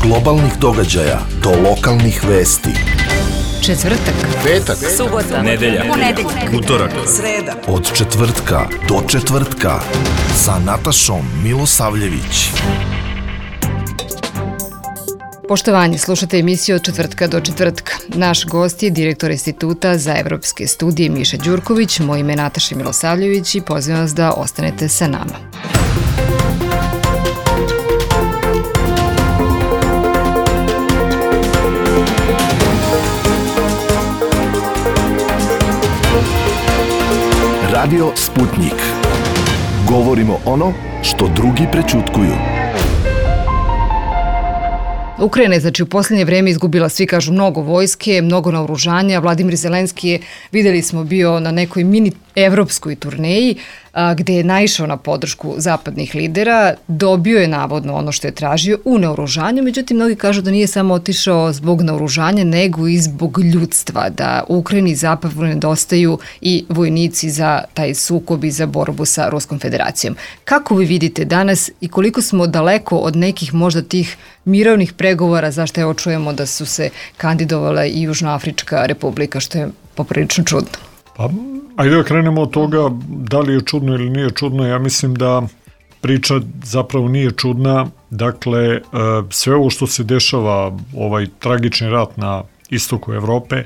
globalnih događaja do lokalnih vesti. Četvrtak, petak, subota, nedelja, utorak, sreda. Od četvrtka do četvrtka sa Natašom Milosavljević. Poštovanje, slušate emisiju Od četvrtka do četvrtka. Naš gost je direktor Instituta za evropske studije Miša Đurković, moje ime je Nataša Milosavljević i pozivam vas da ostanete sa nama. Radio Sputnik. Govorimo ono što drugi prećutkuju. Ukrajina je u posljednje vreme izgubila, svi kažu, mnogo vojske, mnogo naoružanja. Vladimir Zelenski je, videli smo, bio na nekoj mini evropskoj turneji gde je naišao na podršku zapadnih lidera, dobio je navodno ono što je tražio u naoružanju, međutim mnogi kažu da nije samo otišao zbog naoružanja, nego i zbog ljudstva, da u Ukrajini zapravo nedostaju i vojnici za taj sukob i za borbu sa Ruskom federacijom. Kako vi vidite danas i koliko smo daleko od nekih možda tih mirovnih pregovora, zašto evo čujemo da su se kandidovala i Južnoafrička republika, što je poprilično čudno? Pa, ajde da krenemo od toga da li je čudno ili nije čudno. Ja mislim da priča zapravo nije čudna. Dakle, sve ovo što se dešava, ovaj tragični rat na istoku Evrope,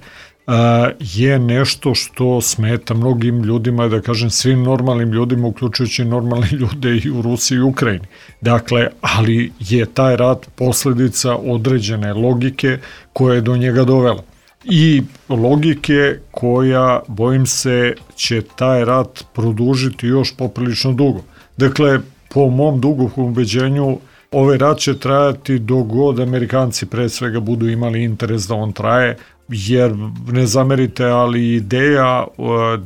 je nešto što smeta mnogim ljudima, da kažem svim normalnim ljudima, uključujući normalne ljude i u Rusiji i Ukrajini. Dakle, ali je taj rat posljedica određene logike koja je do njega dovela. I logike koja, bojim se, će taj rat produžiti još poprilično dugo. Dakle, po mom dubokom ubeđenju, ovaj rat će trajati dok god Amerikanci pre svega budu imali interes da on traje, jer ne zamerite, ali ideja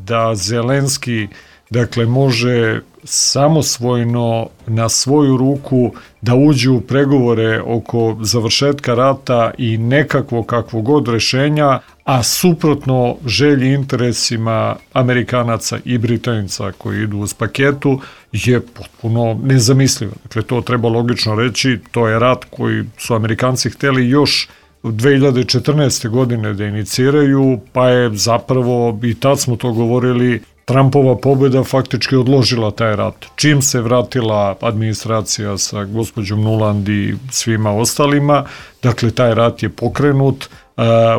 da Zelenski, dakle, može samosvojno na svoju ruku da uđe u pregovore oko završetka rata i nekakvo kakvo god rešenja, a suprotno želji interesima Amerikanaca i Britanica koji idu uz paketu, je potpuno nezamislivo. Dakle, to treba logično reći, to je rat koji su Amerikanci hteli još 2014. godine da iniciraju, pa je zapravo, i tad smo to govorili, Trumpova pobjeda faktički odložila taj rat. Čim se vratila administracija sa gospođom Nuland i svima ostalima, dakle taj rat je pokrenut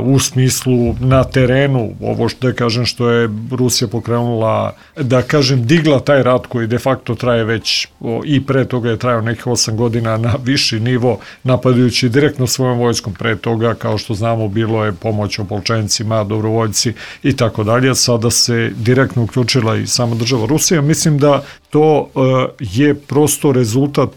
u smislu na terenu, ovo što da kažem što je Rusija pokrenula, da kažem digla taj rat koji de facto traje već i pre toga je trajao nekih 8 godina na viši nivo, napadajući direktno svojom vojskom. Pre toga, kao što znamo, bilo je pomoć opolčencima, dobrovoljci i tako dalje. Sada se direktno uključila i sama država Rusija. Mislim da to je prosto rezultat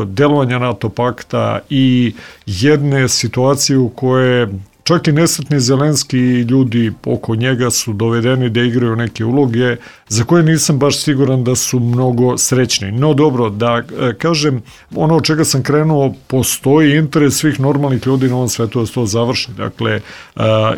delovanja NATO pakta i jedne situacije u koje čak i nesretni Zelenski i ljudi oko njega su dovedeni da igraju neke uloge za koje nisam baš siguran da su mnogo srećni. No dobro, da kažem, ono od čega sam krenuo, postoji interes svih normalnih ljudi na ovom svetu da se to završi. Dakle,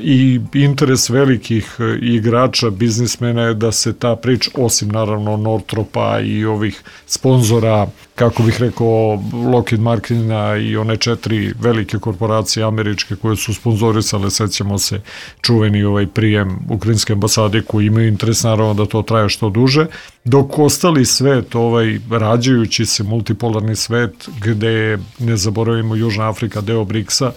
i interes velikih igrača, biznismena je da se ta priča, osim naravno Northropa i ovih sponzora, kako bih rekao, Lockheed Martina i one 4 velike korporacije američke koje su sponzorisale, sećamo se, čuveni ovaj prijem ukrajinske ambasade koji imaju interes naravno da to traje što duže, dok ostali svet, ovaj rađajući se multipolarni svet gde, ne zaboravimo, Južna Afrika, deo BRICS-a,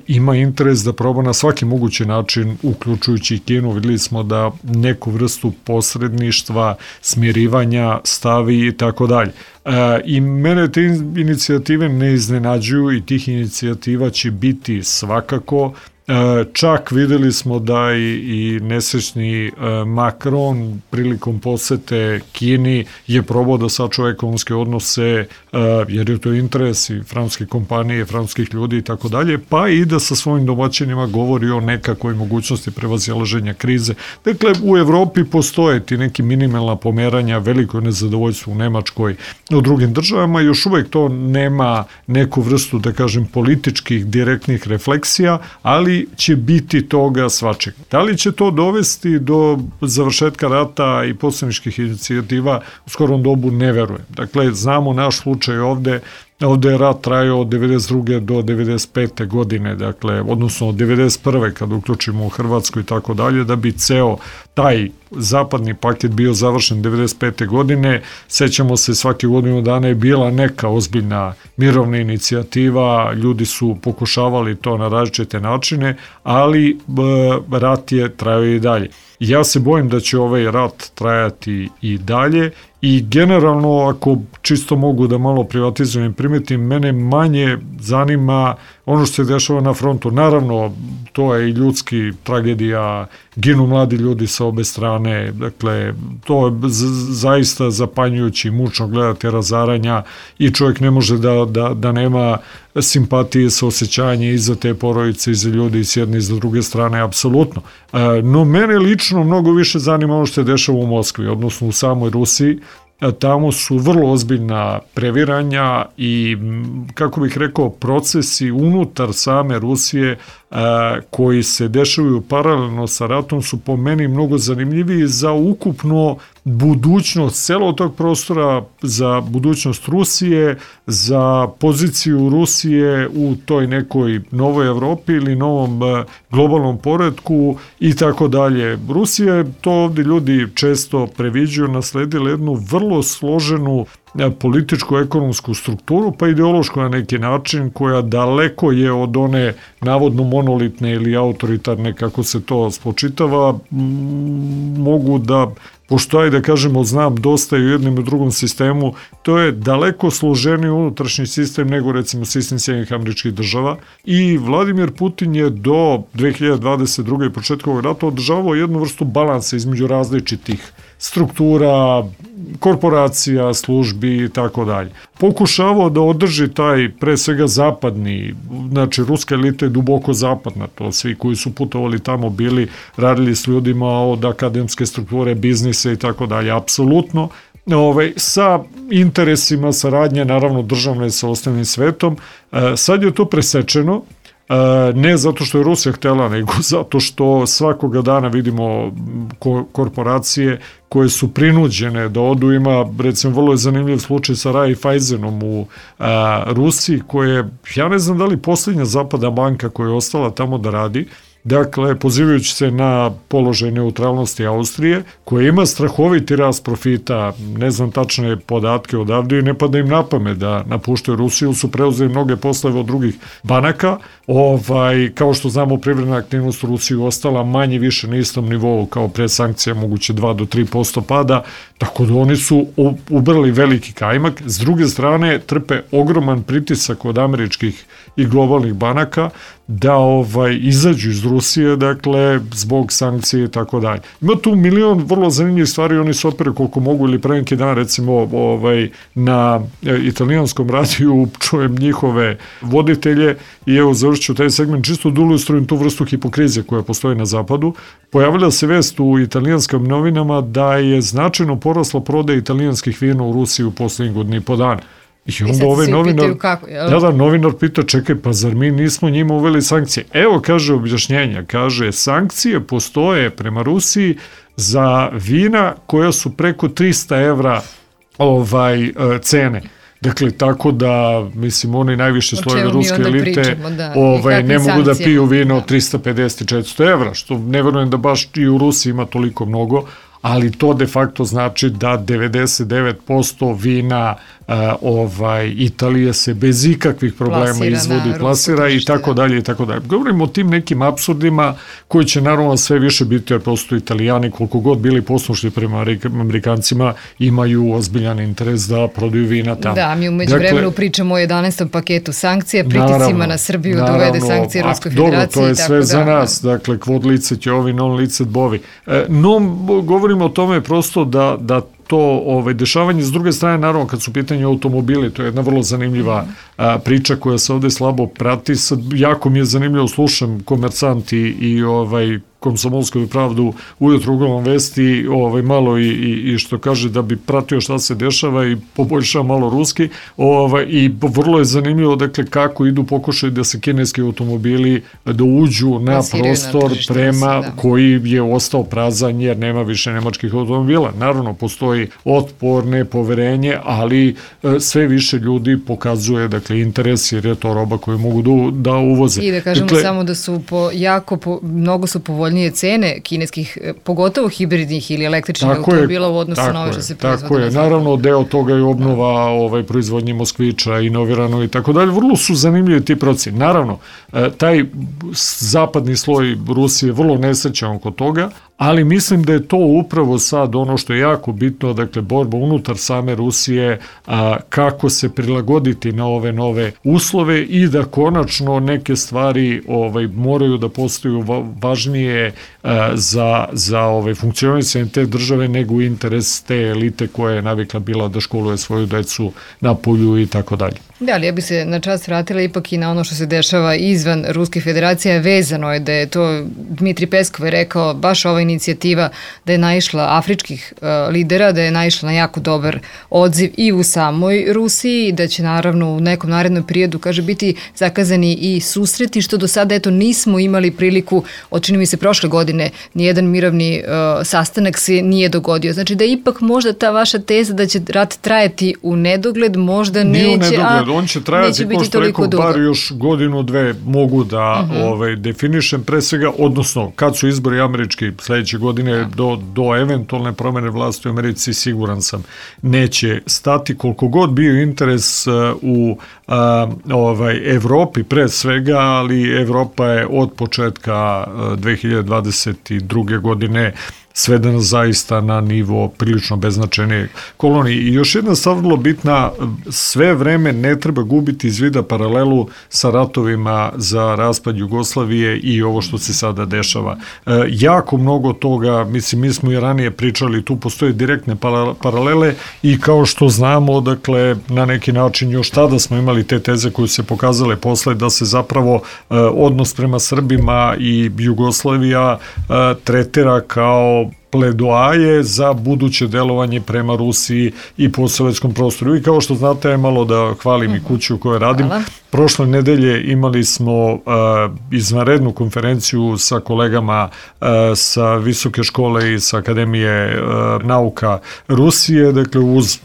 ima interes da proba na svaki mogući način, uključujući i Kinu. Videli smo da neku vrstu posredništva, smirivanja stavi i tako dalje. I mene te inicijative ne iznenađuju i tih inicijativa će biti svakako. Čak videli smo da i nesrećni Macron prilikom posete Kini je probao da sačuva ekonomske odnose, jer je to interes i francuske kompanije, francuskih ljudi i tako dalje, pa i da sa svojim domaćinima govori o nekakvoj mogućnosti prevazilaženja krize. Dakle, u Evropi postoje ti neki minimalna pomeranja, veliko nezadovoljstvo u Nemačkoj, u drugim državama, još uvek to nema neku vrstu, da kažem, političkih direktnih refleksija, ali će biti toga svačega. Da li će to dovesti do završetka rata i poslaničkih inicijativa u skorom dobu, ne verujem. Dakle, znamo naš slučaj ovde, Ovde je rat trajao od 92. do 95. godine, dakle, odnosno od 91. kad uključimo u Hrvatsku i tako dalje, da bi ceo taj zapadni paket bio završen 95. godine. Sećamo se, svake godinu dana je bila neka ozbiljna mirovna inicijativa, ljudi su pokušavali to na različite načine, ali rat je trajao i dalje. Ja se bojim da će ovaj rat trajati i dalje i generalno, ako čisto mogu da malo privatizujem, primetim, mene manje zanima ono što se dešava na frontu. Naravno, to je i ljudski tragedija, ginu mladi ljudi sa obe strane, dakle, to je zaista zapanjujući, mučno gledati razaranja i čovjek ne može da nema simpatije, saosećanje i za te porodice i za ljudi s jedne i za druge strane, apsolutno. No, mene lično mnogo više zanima ono što se dešava u Moskvi, odnosno u samoj Rusiji. Tamo su vrlo ozbiljna previranja i, kako bih rekao, procesi unutar same Rusije koji se dešavaju paralelno sa ratom su po meni mnogo zanimljiviji za ukupno budućnost celog tog prostora, za budućnost Rusije, za poziciju Rusije u toj nekoj novoj Evropi ili novom globalnom poretku i tako dalje. Rusija je, to ovdje ljudi često previđuju, nasledila jednu vrlo složenu političko-ekonomsku strukturu, pa ideološku na neki način, koja daleko je od one navodno monolitne ili autoritarne, kako se to spočitava. Mogu da, pošto aj da kažemo znam dosta i u jednom i u drugom sistemu, to je daleko složeniji unutrašnji sistem nego recimo sistem Sjedinjenih Američkih Država i Vladimir Putin je do 2022. i početka ovog rata održavao jednu vrstu balansa između različitih struktura, korporacija, službi i tako dalje. Pokušavao da održi taj, pre svega zapadni, znači ruska elita je duboko zapadna, to svi koji su putovali tamo bili, radili s ljudima od akademske strukture, biznise i tako dalje, apsolutno, sa interesima saradnje, naravno državne sa ostalim svetom. Sad je to presečeno, ne zato što je Rusija htela, nego zato što svakoga dana vidimo korporacije koje su prinuđene da odu. Ima, recimo, vrlo je zanimljiv slučaj sa Raiffeisenom u Rusiji, koje, ja ne znam da li posljednja zapadna banka koja je ostala tamo da radi, dakle, pozivajući se na položaj neutralnosti Austrije, koja ima strahoviti rast profita, ne znam tačne podatke odavde i ne pada im na pamet da napuštaju Rusiju, su preuzeli mnoge poslove od drugih banaka, kao što znamo, privredna aktivnost u Rusiji ostala manje više na istom nivou kao pre sankcija, moguće 2 do 3% pada, tako da oni su ubrali veliki kajmak. S druge strane, trpe ogroman pritisak od američkih i globalnih banaka da izađu iz Rusije, dakle, zbog sankcije i tako dalje. Ima tu milion vrlo zanimljivih stvari, oni se opere koliko mogu, ili pre neki dan, recimo, na italijanskom radiju čujem njihove voditelje i evo završću taj segment, čisto da ilustrujem tu vrstu hipokrizije koja postoji na zapadu. Pojavila se vest u italijanskim novinama da je značajno porasla prodaja italijanskih vina u Rusiji u poslednjih godinu i po dana. I onda ovaj novinar pita, čekaj, pa zar mi nismo njima uveli sankcije? Evo, kaže objašnjenja, kaže, sankcije postoje prema Rusiji za vina koja su preko 300 evra cene. Dakle, tako da, mislim, oni najviše slojeve ruske elite ne mogu da piju vino od 350 i 400 evra, što ne verujem da baš i u Rusiji ima toliko mnogo, ali to de facto znači da 99% vina Italije se bez ikakvih problema izvodi, plasira i tako dalje i tako dalje. Govorimo o tim nekim apsurdima koji će naravno sve više biti, jer prosto Italijani, koliko god bili poslušni prema Amerikancima, imaju ozbiljan interes da prodaju vina tamo. Da, mi umeđu vremenu pričamo o 11. paketu sankcije, pritiscima na Srbiju da uvede sankcije Ruskoj federaciji. Dobro, to je sve za nas, dakle, kvod lice će ovi, non lice bovi. No, govorimo o tome prosto da to dešavanje. S druge strane, naravno, kad su pitanje automobili, to je jedna vrlo zanimljiva priča koja se ovde slabo prati. Sad, jako mi je zanimljivo, slušam Komersant i Komsomolsku pravdu ujutro uglavnom vesti, malo i što kaže da bi pratio šta se dešava i poboljšao malo ruski, i vrlo je zanimljivo, dakle, kako idu pokušaj da se kineski automobili da uđu na prostor prema koji je ostao prazan jer nema više nemačkih automobila. Naravno, postoji otpor, nepoverenje, ali sve više ljudi pokazuje, dakle, interes jer je to roba koju mogu da uvoze. I da kažemo samo da su mnogo su povoljnije cene kineskih, pogotovo hibridnih ili električnih automobila u odnosu na ove što se proizvode. Tako je, naravno deo toga je obnova proizvodnje Moskvića, inovirano i tako dalje. Vrlo su zanimljivi ti procesi. Naravno, taj zapadni sloj Rusije je vrlo nesrećan oko toga, ali mislim da je to upravo sad ono što je jako bitno, dakle, borba unutar same Rusije, kako se prilagoditi na ove nove uslove i da konačno neke stvari moraju da postaju važnije za funkcionisanje te države nego interes te elite koja je navikla bila da školuje svoju decu na polju i tako dalje. Da, ali ja bi se na čast vratila ipak i na ono što se dešava izvan Ruske federacije. Vezano je da je to, Dmitri Peskov je rekao, baš ova inicijativa da je naišla afričkih lidera, da je naišla na jako dobar odziv i u samoj Rusiji, da će naravno u nekom narednom periodu, kaže, biti zakazani i susreti, što do sada, nismo imali priliku, čini mi se prošle godine, nijedan mirovni sastanak se nije dogodio. Znači da ipak možda ta vaša teza da će rat trajati u nedogled, možda neće, on će trajati, ko što rekao, bar još godinu, dve mogu da definišem pre svega, odnosno kad su izbori američki sledeće godine do eventualne promene vlasti u Americi, siguran sam, neće stati. Koliko god bio interes u Evropi pre svega, ali Evropa je od početka 2022. godine svedena zaista na nivo prilično beznačajne kolonije. I još jedna stvar vrlo bitna, sve vreme ne treba gubiti iz vida paralelu sa ratovima za raspad Jugoslavije i ovo što se sada dešava. Jako mnogo toga, mislim, mi smo i ranije pričali, tu postoje direktne paralele i kao što znamo, dakle, na neki način još tada smo imali te teze koje se pokazale posle da se zapravo odnos prema Srbima i Jugoslavija tretira kao pledoaje za buduće delovanje prema Rusiji i postsovjetskom prostoru. I kao što znate, malo da hvalim i kuću u kojoj radim, prošle nedelje imali smo izvanrednu konferenciju sa kolegama sa Visoke škole i sa Akademije nauka Rusije, dakle uz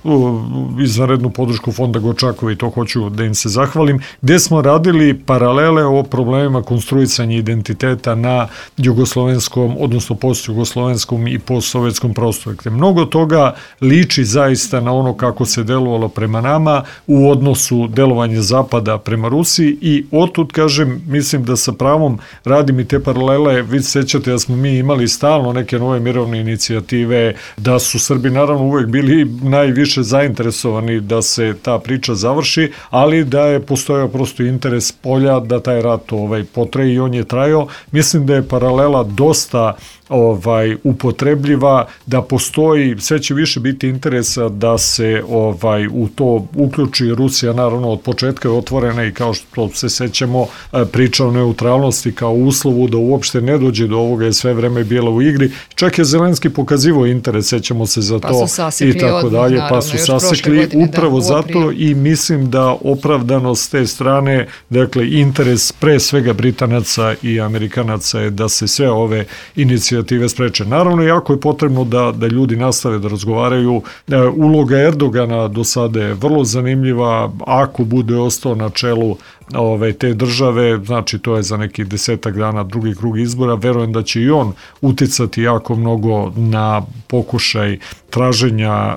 izvanrednu podršku Fonda Gočakova, i to hoću da im se zahvalim, gde smo radili paralele o problemima konstruisanja identiteta na jugoslovenskom, odnosno postjugoslovenskom i postsovjetskom prostoru. Dakle, mnogo toga liči zaista na ono kako se delovalo prema nama u odnosu delovanja Zapada prema Rusiji i otud, kažem, mislim da sa pravom radim i te paralele. Vi se sećate da smo mi imali stalno neke nove mirovne inicijative, da su Srbi naravno uvek bili najviše zainteresovani da se ta priča završi, ali da je postojao prosto interes polja da taj rat potraje i on je trajao. Mislim da je paralela dosta upotrebljiva, da postoji, sve će više biti interesa da se u to uključi Rusija, naravno od početka je otvorena i kao što se sećamo priča o neutralnosti kao uslovu da uopšte ne dođe do ovoga je sve vreme bila u igri. Čak je Zelenski pokazivao interes, sećamo se za to i tako dalje, pa su sasekli upravo zato i mislim da opravdanost te strane, dakle interes pre svega Britanaca i Amerikanaca je da se sve ove inicijative spreče. Naravno, jako je potrebno da ljudi nastave da razgovaraju. Uloga Erdogana do sada je vrlo zanimljiva, ako bude ostao na čelu te države, znači to je za nekih 10 dana drugi krug izbora, verujem da će i on uticati jako mnogo na pokušaj traženja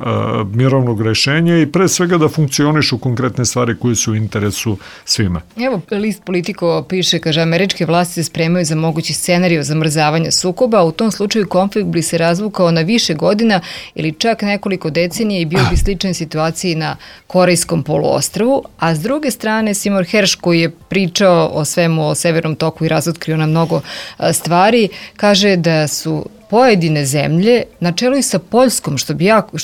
mirovnog rešenja i pre svega da funkcionišu konkretne stvari koje su u interesu svima. Evo, list Politico piše, kaže, američke vlasti se spremaju za mogući scenarij zamrzavanja sukoba, u tom slučaju konflikt bi se razvukao na više godina ili čak nekoliko decenija i bio bi sličan situaciji na Korejskom poluostrvu, a s druge strane Seymour Hersh, koji je pričao o svemu, o Severnom toku i razotkrio na mnogo stvari, kaže da su pojedine zemlje, na čelu i sa Poljskom, što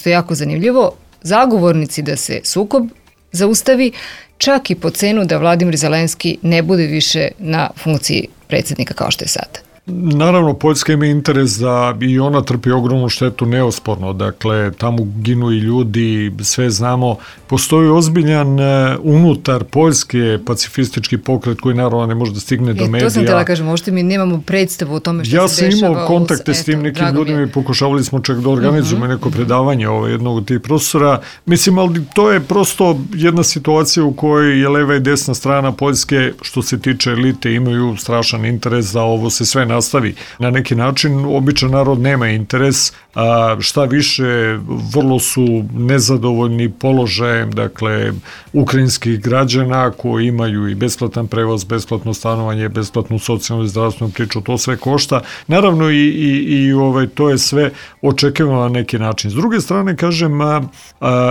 je jako zanimljivo, zagovornici da se sukob zaustavi, čak i po cenu da Vladimir Zelenski ne bude više na funkciji predsjednika kao što je sada. Naravno, Poljska ima interes da i ona trpi ogromnu štetu neosporno, dakle tamo ginu i ljudi, sve znamo, postoji ozbiljan unutar Poljske pacifistički pokret koji naravno ne može da stigne do medija. To sam htjela kažem, možete mi nemamo predstavu o tome što se dešava. Ja sam imao kontakte s tim nekim ljudima i pokušavali smo čak da organizujemo neko predavanje jednog od tih profesora. Mislim, ali to je prosto jedna situacija u kojoj je leva i desna strana Poljske, što se tiče elite, imaju strašan interes da ovo se sve nastavi. Na neki način, običan narod nema interes, a šta više, vrlo su nezadovoljni položajem, dakle, ukrajinskih građana koji imaju i besplatan prevoz, besplatno stanovanje, besplatnu socijalnu i zdravstvenu priču, to sve košta. Naravno i to je sve očekivano na neki način. S druge strane, kažem,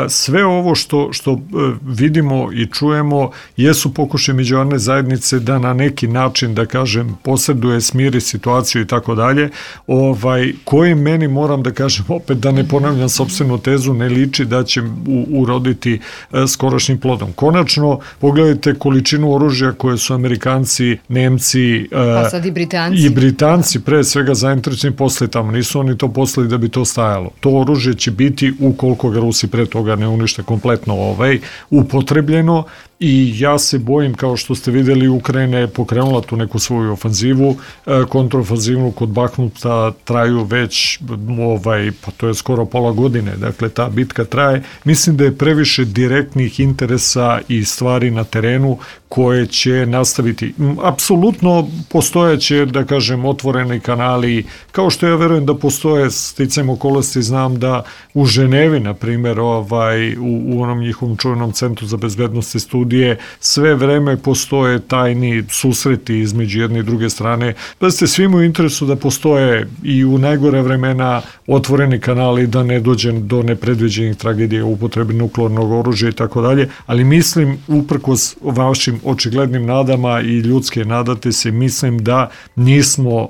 sve ovo što vidimo i čujemo jesu pokušaje međunarodne zajednice da na neki način, da kažem, posreduje, smiri situaciju i tako dalje, koji meni, moram da kažem, opet da ne ponavljam sopstvenu tezu, ne liči da će uroditi skorašnjim plodom. Konačno, pogledajte količinu oružja koje su Amerikanci, Nemci, pa sad i Britanci pre svega zainteresovani poslali tamo. Nisu oni to poslali da bi to stajalo. To oružje će biti, ukoliko ga Rusi pre toga ne unište kompletno upotrebljeno. I ja se bojim, kao što ste videli, Ukrajina je pokrenula tu neku svoju ofanzivu, kontrofanzivnu kod Bahmuta traju već, pa to je skoro pola godine, dakle ta bitka traje. Mislim da je previše direktnih interesa i stvari na terenu koje će nastaviti. Apsolutno postojaće, da kažem, otvoreni kanali, kao što ja verujem da postoje, sticajem okolnosti, znam da u Ženevi, na primjer, u onom njihovom čuvenom centru za bezbednost i studije, sve vreme postoje tajni susreti između jedne i druge strane. Da ste svima u interesu da postoje i u najgore vremena otvoreni kanali, da ne dođe do nepredviđenih tragedija u upotrebi nuklearnog oružja i tako dalje, ali mislim, uprkos vašim očiglednim nadama i ljudske nadate se, mislim da nismo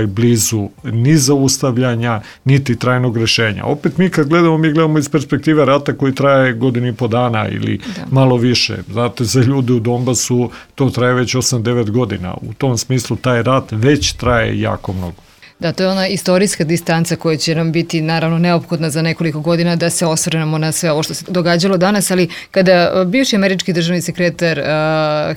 blizu ni zaustavljanja, niti trajnog rešenja. Opet mi kad gledamo, mi gledamo iz perspektive rata koji traje godinu i po dana ili malo više. Znate, za ljude u Donbasu to traje već 8-9 godina. U tom smislu taj rat već traje jako mnogo. Da, to je ona istorijska distanca koja će nam biti naravno neophodna za nekoliko godina da se osvrnemo na sve ovo što se događalo danas, ali kada bivši američki državni sekretar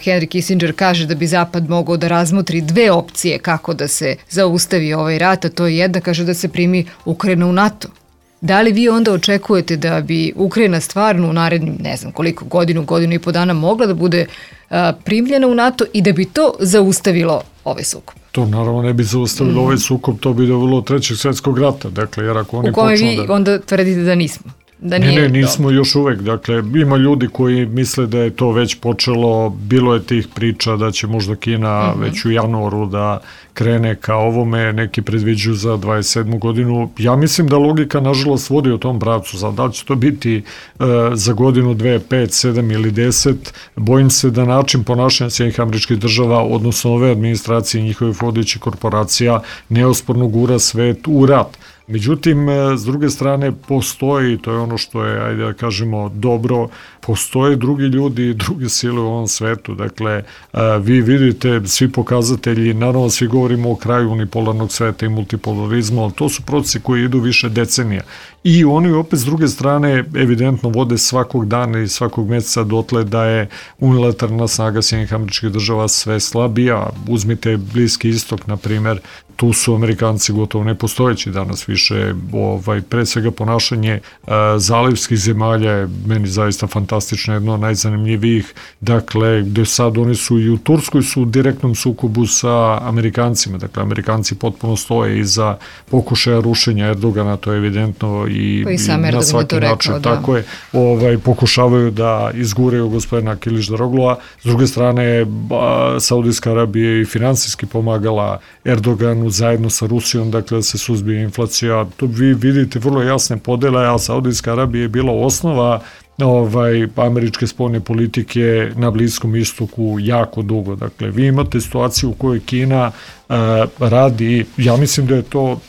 Henry Kissinger kaže da bi Zapad mogao da razmotri dve opcije kako da se zaustavi ovaj rat, a to je jedna, kaže da se primi Ukrajina u NATO. Da li vi onda očekujete da bi Ukrajina stvarno u narednim, ne znam koliko, godinu i po dana mogla da bude primljena u NATO i da bi to zaustavilo ovaj sukob? To naravno ne bi zaustavilo ovaj sukob, to bi dovelo do Trećeg svjetskog rata. Dakle, jer ako oni u kome vi onda tvrdite da nismo? Ne, nismo još uvek. Dakle, ima ljudi koji misle da je to već počelo, bilo je tih priča da će možda Kina već u januaru da krene ka ovome, neki predviđuju za 27. godinu. Ja mislim da logika, nažalost, vodi u tom pravcu. Sad, da li će to biti za godinu, 2, 5, 7 ili 10, bojim se da način ponašanja Sjedinjenih Američkih Država, odnosno ove administracije i njihovih vodećih korporacija, neosporno gura svet u rat. Međutim, s druge strane, postoji, to je ono što je, ajde da kažemo, dobro, postoje drugi ljudi i druge sile u ovom svetu. Dakle, vi vidite svi pokazatelji, naravno svi govorimo o kraju unipolarnog sveta i multipolarizma, ali to su procesi koji idu više decenija. I oni opet s druge strane evidentno vode svakog dana i svakog meseca dotle da je unilateralna snaga Sjedinjenih Američkih Država sve slabija. Uzmite Bliski istok, na primjer, tu su Amerikanci gotovo nepostojeći danas više, pre svega ponašanje zalivskih zemalja je meni zaista fantastično, jedno od najzanimljivijih, dakle, gde sad oni su i u Turskoj su u direktnom sukobu sa Amerikancima, dakle, Amerikanci potpuno stoje iza pokušaja rušenja Erdogana, to je evidentno i na svaki način, tako je, pokušavaju da izguraju gospodina Kilić-Daroglua. S druge strane, Saudijska Arabija je i finansijski pomagala Erdoganu zajedno sa Rusijom, dakle, da se suzbije inflacija. Tu vi vidite vrlo jasne podele, a Saudijska Arabija je bila osnova američke spoljne politike na Bliskom istoku jako dugo. Dakle, vi imate situaciju u kojoj Kina radi, ja mislim da je to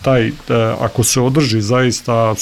ako se održi zaista,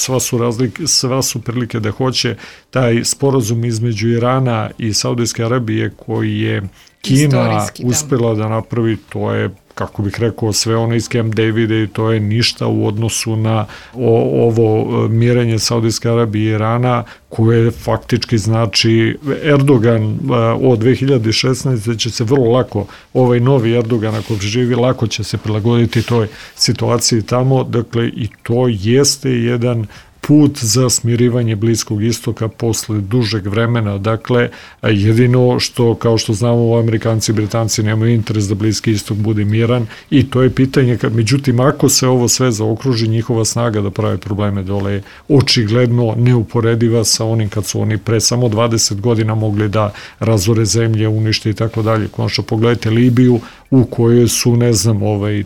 sva su prilike da hoće, taj sporazum između Irana i Saudijske Arabije koji je Kina uspela da napravi, to je kako bih rekao, sve ono iz Camp Davida i to je ništa u odnosu na ovo mirenje Saudijske Arabije i Irana, koje faktički znači Erdogan od 2016. će se vrlo lako, ovaj novi Erdogan ako živi, lako će se prilagoditi toj situaciji tamo, dakle i to jeste jedan put za smirivanje Bliskog istoka posle dužeg vremena. Dakle, jedino što, kao što znamo, Amerikanci i Britanci nemaju interes da Bliski istok bude miran i to je pitanje, međutim, ako se ovo sve zaokruži, njihova snaga da prave probleme dole je očigledno neuporediva sa onim kad su oni pre samo 20 godina mogli da razore zemlje, unište i tako dalje. Konačno, pogledajte Libiju u kojoj su, ne znam,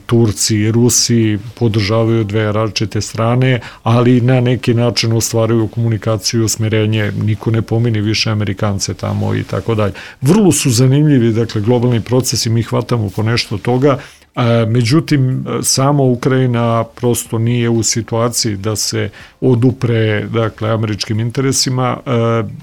Turci i Rusi podržavaju dve različite strane, ali na neki način ostvaruju komunikaciju, smirenje, niko ne pomini više Amerikance tamo i tako dalje. Vrlo su zanimljivi, dakle, globalni procesi, mi hvatamo po nešto toga, međutim, sama Ukrajina prosto nije u situaciji da se odupre, dakle, američkim interesima,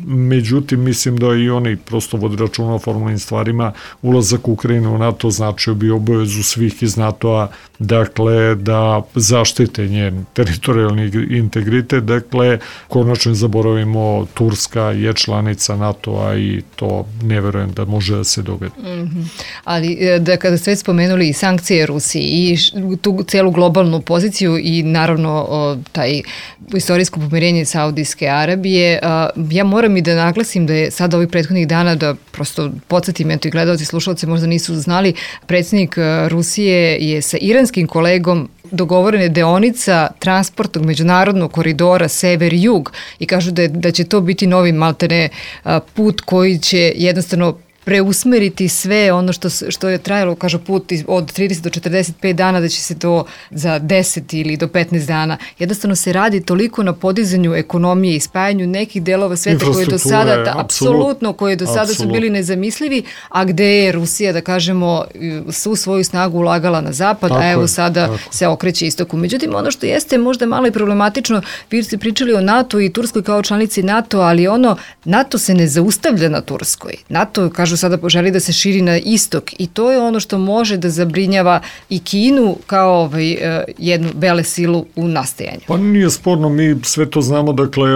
međutim, mislim da i oni prosto vodi računa o formalnim stvarima. Ulazak Ukrajine u NATO značio bi obavezu svih iz NATO-a, dakle, da zaštite njen teritorijalni integritet, dakle, konačno zaboravimo, Turska je članica NATO-a i to ne verujem da može da se dogodi. Ali da kada ste već spomenuli i sankcije Rusiji i tu celu globalnu poziciju i naravno taj istorijsko pomirenje Saudijske Arabije, ja moram i da naglasim da je sada ovih prethodnih dana, da prosto podsjetim, eto i gledalci i slušalci možda nisu znali, predsjednik Rusije je sa iranskim kolegom dogovorena deonica transportnog međunarodnog koridora sever-jug i kažu da će to biti novi maltene put koji će jednostavno preusmeriti sve ono što je trajalo, kažu, put od 30 do 45 dana, da će se to za 10 ili do 15 dana. Jednostavno se radi toliko na podizanju ekonomije i spajanju nekih delova sveta koji do sada, apsolutno, koji do sada su bili nezamislivi, a gde je Rusija, da kažemo, svu svoju snagu ulagala na zapad, a evo sada se okreće istoku. Međutim, ono što jeste možda malo i problematično, vi ste pričali o NATO i Turskoj kao članici NATO, ali NATO se ne zaustavlja na Turskoj. NATO, kažu, sada želi da se širi na istok i to je ono što može da zabrinjava i Kinu kao jednu velesilu u nastajanju. Pa nije sporno, mi sve to znamo, dakle,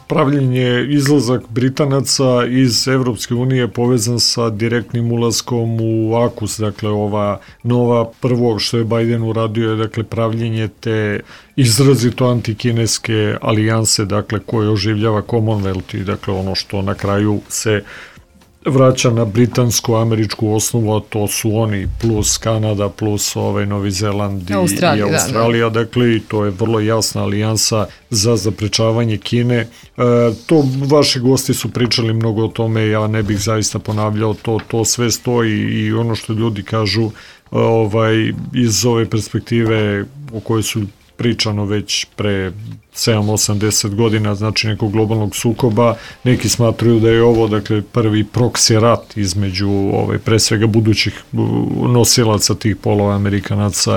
pravljenje, izlazak Britanaca iz Evropske unije povezan sa direktnim ulaskom u AUKUS, dakle, ova nova prvo što je Biden uradio je, dakle, pravljenje te izrazito antikineske alijanse, dakle, koje oživljava Commonwealth i, dakle, ono što na kraju se vraća na britansko-američku osnovu, a to su oni plus Kanada, plus Novi Zeland i Australija, dakle, i to je vrlo jasna alijansa za zaprečavanje Kine. To vaši gosti su pričali mnogo o tome, ja ne bih zaista ponavljao, to sve stoji i ono što ljudi kažu iz ove perspektive o kojoj su pričano već pre 7-80 godina, znači nekog globalnog sukoba, neki smatruju da je ovo, dakle, prvi proksi rat između pre svega budućih nosilaca tih polova, Amerikanaca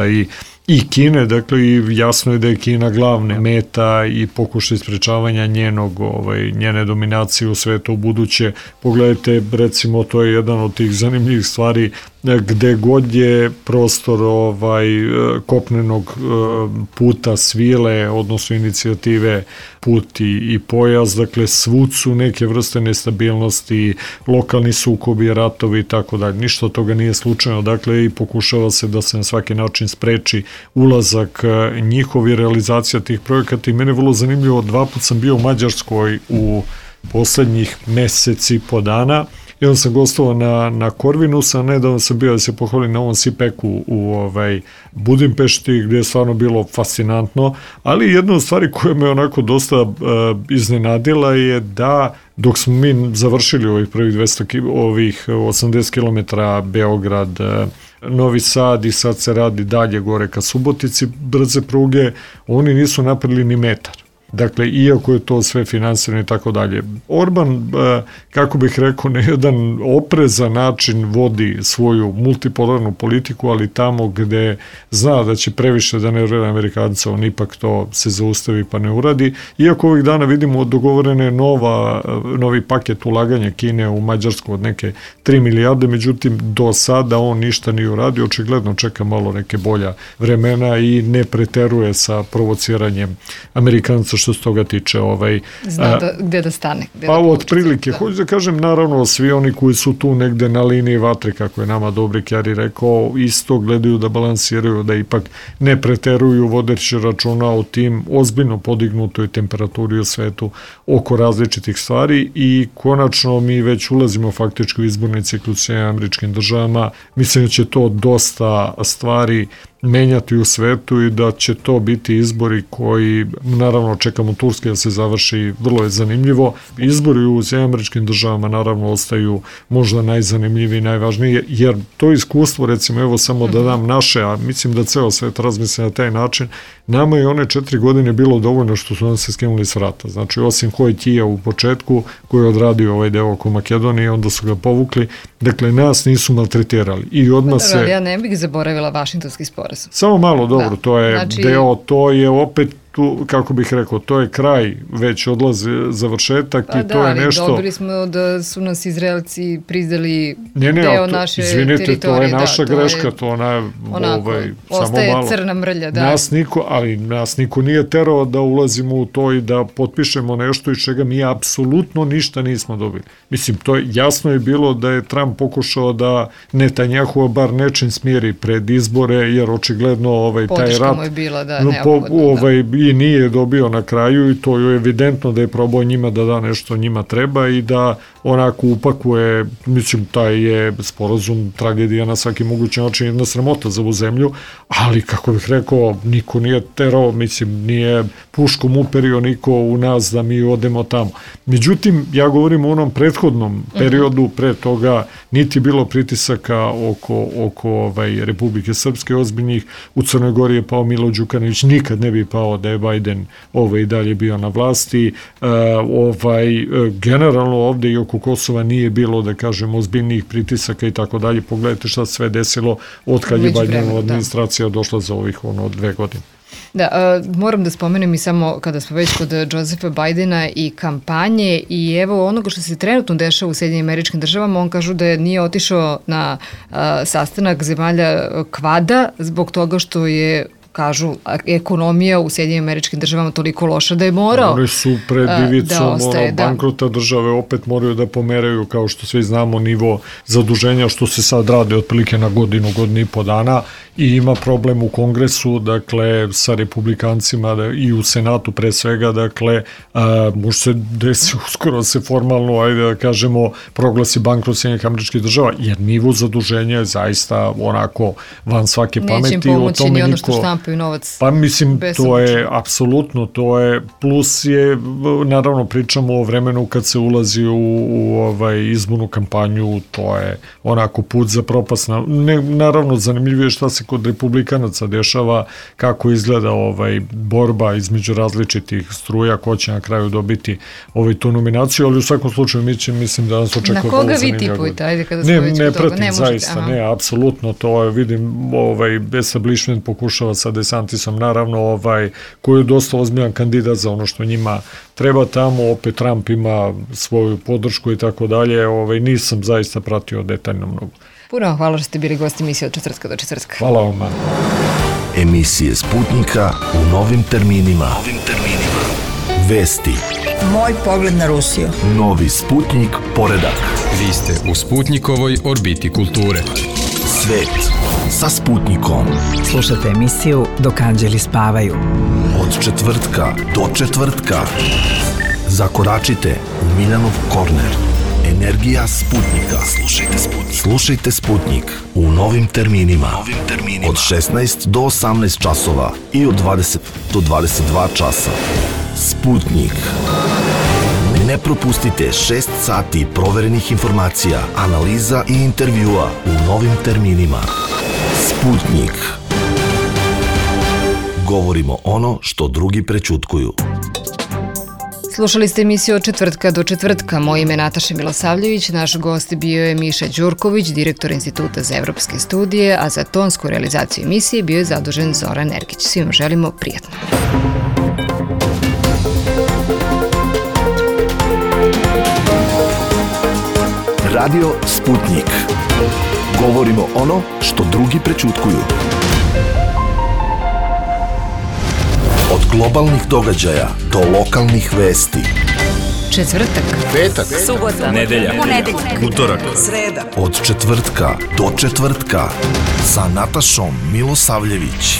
i Kine, dakle, i jasno je da je Kina glavna meta i pokušaj sprečavanja njene dominacije u svetu u buduće. Pogledajte, recimo, to je jedan od tih zanimljivih stvari, gde god je prostor kopnenog puta svile, odnosno inicijative Put i pojas, dakle, svud su neke vrste nestabilnosti, lokalni sukobi, ratovi i tako dalje. Ništa od toga nije slučajno, dakle, i pokušava se da se na svaki način spreči ulazak njihovi, realizacija tih projekata. I mene je vrlo zanimljivo, 2 puta sam bio u Mađarskoj u poslednjih meseci po dana. Jedan sam gostovao na Corvinusa, nedavno sam bio da se pohvalim na ovom CPEC-u u Budimpešti, gde je stvarno bilo fascinantno, ali jedna od stvari koja me onako dosta iznenadila je da dok smo mi završili ovih prvih 80 km Beograd, Novi Sad i sad se radi dalje gore ka Subotici, brze pruge, oni nisu napravili ni metar. dakle, iako je to sve finansirano i tako dalje. Orban, kako bih rekao, na jedan oprezan način vodi svoju multipolarnu politiku, ali tamo gde zna da će previše da ne uradi Amerikanca, on ipak to se zaustavi pa ne uradi. Iako ovih dana vidimo dogovorene novi paket ulaganja Kine u Mađarsku od neke 3 milijarde, međutim do sada on ništa nije uradio, očigledno čeka malo neke bolja vremena i ne preteruje sa provociranjem Amerikanca što se toga tiče. Zna gde da stane. Pa otprilike, hoću da kažem, naravno svi oni koji su tu negde na liniji vatre, kako je nama Dobri Kjari rekao, isto gledaju da balansiraju, da ipak ne preteruju vodeći računa o tim ozbiljno podignutoj temperaturi u svetu oko različitih stvari i konačno mi već ulazimo faktički u izborni ciklus u Američkim državama. Mislim da će to dosta stvari menjati u svetu i da će to biti izbori koji, naravno čekamo Turske da se završi, vrlo je zanimljivo. Izbori u Američkim državama naravno ostaju možda najzanimljiviji i najvažniji, jer to iskustvo, recimo, evo samo da dam naše, a mislim da ceo svet razmisli na taj način, nama je one 4 godine bilo dovoljno što su nam se skinuli s vrata. Znači, osim Hojtija u početku, koji je odradio ovaj deo oko Makedonije, onda su ga povukli. Dakle, nas nisu maltretirali. I odmah se... Ja ne bih zaboravila Vašingtonski sporazum. Samo malo, dobro, to je deo, to je opet tu, kako bih rekao, to je kraj, već odlazi završetak i to je nešto... Dobili smo da su nas Izraelci priznali deo naše teritorije. Izvinite, to je naša greška, to ona, ostaje samo malo. Crna mrlja, da. Nas niko nije terao da ulazimo u to i da potpišemo nešto iz čega mi apsolutno ništa nismo dobili. Mislim, to je jasno je bilo da je Trump pokušao da Netanjahua bar nečim smjeri pred izbore, jer očigledno taj rat... Podrška mu je bila, da, neophodno, i nije dobio na kraju i to je evidentno da je probao njima da da nešto njima treba i da onako upakuje, mislim, taj je sporazum tragedija na svaki mogući način, jedna sramota za ovu zemlju, ali kako bih rekao, niko nije terao, mislim, nije puškom uperio niko u nas da mi odemo tamo. Međutim, ja govorim o onom prethodnom periodu, pre toga niti bilo pritisaka oko Republike Srpske ozbiljnih, u Crnoj Gori je pao Milo Đukanović, nikad ne bi pao da je Biden i dalje bio na vlasti. Generalno ovde i oko Kosova nije bilo, da kažem, ozbiljnijih pritisaka i tako dalje. Pogledajte šta sve desilo od kad je Bidenova administracija došla za ovih 2 godine. Da, moram da spomenem i samo kada smo već kod Josefa Bidena i kampanje i evo onoga što se trenutno dešava u Sjedinjenim Američkim Državama, on kažu da nije otišao na sastanak zemalja Kvada zbog toga što je, kažu, ekonomija u Sjedinjenim Američkim Državama toliko loša da je morao. Oni su pred ivicom bankrota države, opet moraju da pomeraju, kao što svi znamo, nivo zaduženja, što se sad radi otprilike na godinu i po dana i ima problem u Kongresu, dakle, sa republikancima i u Senatu pre svega, dakle, može se desi uskoro se formalno, ajde da kažemo, proglasi bankrot Sjedinjenih Američkih Država, jer nivo zaduženja je zaista onako van svake pameti. Neće im pomoći ni ono što štampaju novac. Pa mislim, to je apsolutno, to je, plus je, naravno pričamo o vremenu kad se ulazi u izbornu kampanju, to je onako put za propast. Naravno, zanimljivije šta se kod republikanaca dešava, kako izgleda borba između različitih struja, ko će na kraju dobiti tu nominaciju, ali u svakom slučaju mislim da nas očekuje. Na koga vi tipujete, ajde kada smo već kod toga? Ne zaista, ne, apsolutno, to je, vidim, establishment pokušava sa DeSantisom, naravno, koji je dosta ozbiljan kandidat za ono što njima treba tamo, opet Trump ima svoju podršku i tako dalje, nisam zaista pratio detaljno mnogo. Puno hvala što ste bili gosti emisije od četvrtka do četvrtka. Hvala vam. Emisije Sputnika u novim terminima. Vesti. Moj pogled na Rusiju. Novi Sputnik poredak. Vi ste u Sputnikovoj orbiti kulture. Svet sa Sputnikom. Slušajte emisiju Dok anđeli spavaju. Od četvrtka do četvrtka. Zakoračite u Miljanov korner. Energija Sputnika. Slušajte Sputnik u novim terminima. Od 16 do 18 časova i od 20 do 22 časa. Sputnik. Ne propustite 6 sati proverenih informacija, analiza i intervjua u novim terminima. Sputnik. Govorimo ono što drugi prećutkuju. Slušali ste emisiju Od četvrtka do četvrtka. Moje ime je Nataša Milosavljević, naš gost bio je Miša Đurković, direktor Instituta za evropske studije, a za tonsku realizaciju emisije bio je zadužen Zoran Ergić. Svima želimo prijatno. Radio Sputnik. Govorimo ono što drugi prećutkuju. Od globalnih događaja do lokalnih vesti. Četvrtak, Petak, subota, Nedelja, utorak, Sreda. od četvrtka do četvrtka sa Natašom Milosavljević.